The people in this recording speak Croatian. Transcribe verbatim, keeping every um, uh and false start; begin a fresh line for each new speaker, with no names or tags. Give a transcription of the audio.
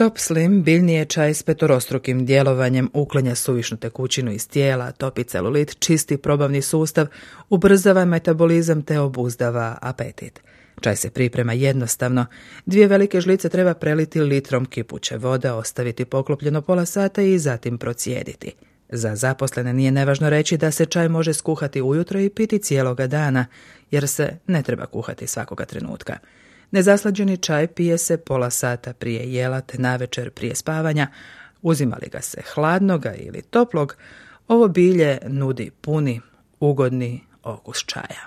Top Slim biljni je čaj s petorostrukim djelovanjem, uklanja suvišnu tekućinu iz tijela, topi celulit, čisti probavni sustav, ubrzava metabolizam te obuzdava apetit. Čaj se priprema jednostavno. Dvije velike žlice treba preliti litrom kipuće vode, ostaviti poklopljeno pola sata i zatim procijediti. Za zaposlene nije nevažno reći da se čaj može skuhati ujutro i piti cijeloga dana, jer se ne treba kuhati svakoga trenutka. Nezaslađeni čaj pije se pola sata prije jela te navečer prije spavanja. Uzima li ga se hladnoga ili toplog, ovo bilje nudi puni, ugodni okus čaja.